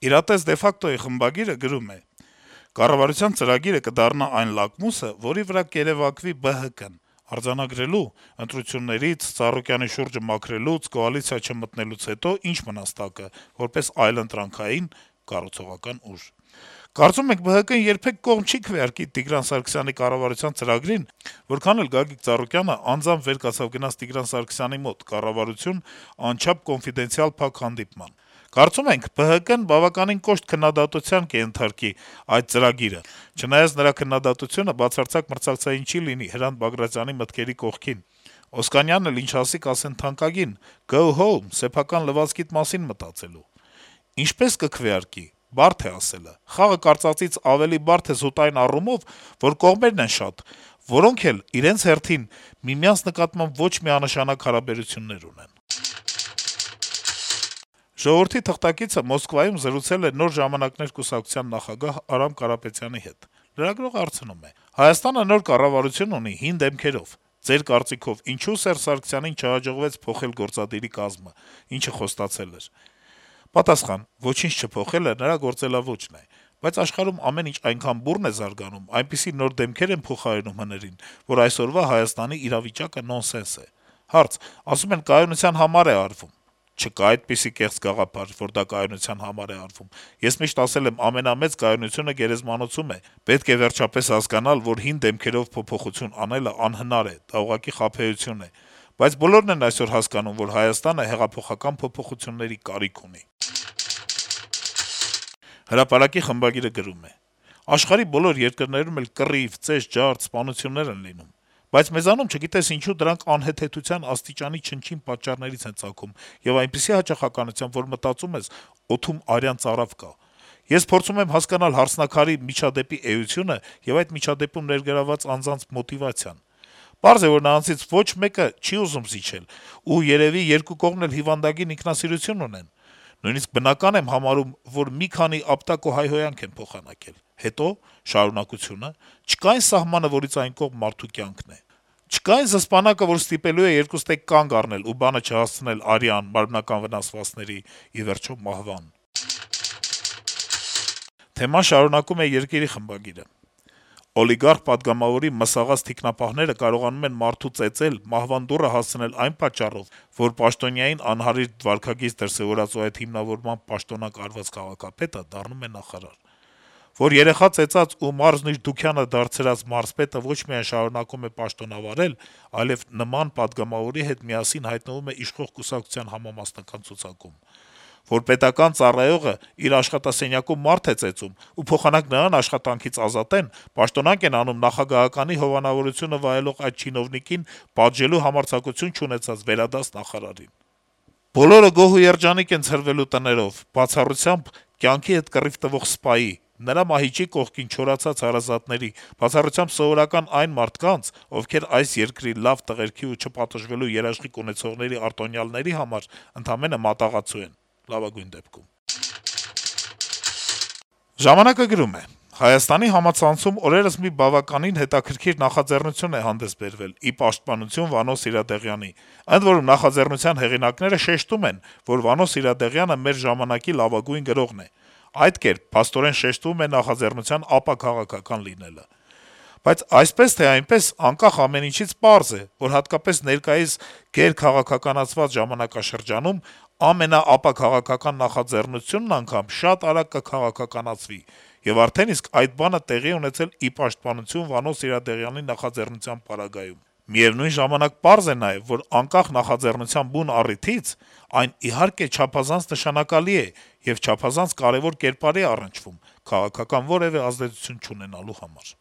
Իրատես դե ֆակտոյի խմբագիրը գրում է. - «Կառավարության ծրագիրը կդառնա այն լակմուսը, որի վրա կերեւակվի ԲՀԿ-ն: Արձանագրելու, ընտրություններից, Ծառուկյանի շուրջը մաքրելուց, կոալիցիա չմտնելուց հետո ի՞նչ մնաց տակը՝ որպես այլընտրանքային (կառուցողական) ուժ: Կարծում ենք, ԲՀԿ-ն երբեք կողմ չի քվեարկի Տիգրան Սարգսյանի կառավարության ծրագրին, որքան էլ Գագիկ Ծառուկյանը անձամբ վեր կացավ գնաց Տիգրան Սարգսյանի մոտ՝ կառավարություն, անչափ կոնֆիդենցիալ փակ հանդիպման: Կարծում ենք, ԲՀԿ-ն բավականին կոշտ քննադատության կենթարկի այդ ծրագիրը, չնայած նրա քննադատությունը բացարձակ մրցակցային չի լինի Հրանտ Բագրատյանի մտքերի կողքին: Օսկանյանն էլ ինչ ասի, կասեն թանկագին՝ go home, սեփական լվացքիդ մասին մտածելու: Ինչպե՞ս կքվեարկի՝ բարդ է ասելը: Խաղը կարծածից ավելի բարդ է զուտ այն առումով, որ կողմերն են շատ, որոնք էլ իրենց հերթին միմյանց նկատմամբ ոչ միանշանակ հարաբերություններ ունեն»: «Ժողովուրդ» օրաթերթի թղթակիցը Մոսկվայում զրուցել է Նոր ժամանակներ կուսակցության նախագահ Արամ Կարապետյանի հետ: Լրագրողը հարցնում է. - «Հայաստանը նոր կառավարություն ունի՝ հին դեմքերով: Ձեր կարծիքով ինչո՞ւ Սերժ Սարգսյանին չհաջողվեց փոխել գործադիրի կազմը, ինչը խոստացել էր»: Պատասխան. - «Ոչինչ չփոխելը նրա գործելաոճն է: Բայց աշխարհում ամեն ինչ այնքան բուռն է զարգանում, այնպիսի նոր դեմքեր են փոխարինում հներին, որ այսօրվա Հայաստանի իրավիճակը նոնսենս է»: Հարց. - «Ասում են՝ կայունության համար է արվում»: Չկա այդպիսի կեղծ գաղափար, որ դա կայունության համար է արվում: Ես միշտ ասել եմ՝ ամենամեծ կայունությունը գերեզմանոցում է: Պետք է վերջապես հասկանալ, որ հին դեմքերով փոփոխություն անելը անհնար է, դա ուղղակի խաբեություն է: Բայց բոլորն են այսօր հասկանում, որ Հայաստանը հեղափոխական փոփոխությունների կարիք ունի»: «Հրապարակ»-ի խմբագիրը գրում է. - «Աշխարհի բոլոր երկրներում էլ կռիվ, ծեժ, ջարդ, սպանություններ են լինում: Բայց մեզանում, չգիտես ինչու, դրանք անհեթեթության աստիճանի չնչին պատճառներից են ծագում եւ այնպիսի հաճախականությամբ, որ մտածում ես՝ օդում արյան ծարավ կա: Ես փորձում եմ հասկանալ հարցնաքարի միջադեպի էությունը եւ այդ միջադեպում ներգրավված անձանց մոտիվացիան: Պարզ է, որ նրանցից ոչ մեկը չի ուզում զիջել, ու երեւի երկու կողմն էլ հիվանդագին ինքնասիրություն ունեն: Նույնիսկ բնական եմ համարում, որ մի քանի ապտակ ու հայհոյանք են փոխանակել: Հետո՞, շարունակությո՞ւնը: Չկա՞ այն սահմանը, որից այն կողմ մարդու կյանքն է: Չկա՞ այն զսպանակը, որ ստիպելու է երկուստեք կանգ առնել ու բանը չհասցնել արյան, մարմնական վնասվածքների, ի վերջո՝ մահվան»: Թեման շարունակում է «Երկիր»-ի խմբագիրը. - «Օլիգարխ-պատգամավորի մսաղած թիկնապահները կարողանում են մարդու ծեծել, մահվան դուռը հասցնել այն պատճառով, որ պաշտոնյային անհարիստ վարքագիծ դրսեւորած ու այդ հիմնավորմամբ պաշտոնանկ արված քաղաքապետը դառնում է նախարար: Որ երեխա ծեծած ու մարզնիժդուքյանը դարձրած մարզպետը ոչ միայն շարունակում է պաշտոնավարել, այլեւ նման պատգամավորի հետ միասին հայտնվում է իշխող կուսակցության համամասնական ցուցակում: Որ պետական ծառայողը իր աշխատասենյակում մարդ է ծեծում, ու փոխանակ նրան աշխատանքից ազատեն, պաշտոնանկ են անում նախագահականի հովանավորությունը վայելող այդ չինովնիկին պատժելու համարձակություն չունեցած վերադաս նախարարին: Բոլորը գոհ ու երջանիկ են ցրվելու տներով, բացառությամբ կյանքի հետ կռիվ տվող սպայի, նրա մահիճի կողքին չորացած հարազատների, բացառությամբ սովորական այն մարդկանց, ովքեր այս երկրի լավ տղերքի ու չպատժվելու երաշխիք ունեցողների արտոնյալների համար ընդամենը մատաղացու են, լավագույն դեպքում»: «Ժամանակ»-ը գրում է. - «Հայաստանի համացանցում օրերս մի բավականին հետաքրքիր նախաձեռնություն է հանդես բերվել՝ ի պաշտպանություն Վանո Սիրադեղյանի: Ընդ որում, նախաձեռնության հեղինակները շեշտում են, որ Վանո Սիրադեղյանը մեր ժամանակի լավագույն գրողն է: Այդ կերպ փաստորեն շեշտվում է նախաձեռնության ապաքաղաքական լինելը: Բայց այսպես թե այնպես, անկախ ամեն ինչից պարզ է, որ հատկապես ներկայիս գերքաղաքականացված ժամանակաշրջանում ամենաապաքաղաքական նախաձեռնությունն անգամ շատ արագ կքաղաքականացվի: Եվ արդեն իսկ այդ բանը տեղի է ունեցել ի պաշտպանություն Վանո Սիրադեղյանի նախաձեռնության պարագայում: Միեւնույն ժամանակ պարզ է նաեւ, որ անկախ նախաձեռնության բուն առիթից, այն իհարկե չափազանց նշանակալի է եւ չափազանց կարեւոր կերպար է առնչվում՝ քաղաքական որեւէ ազդեցություն չունենալու համար»: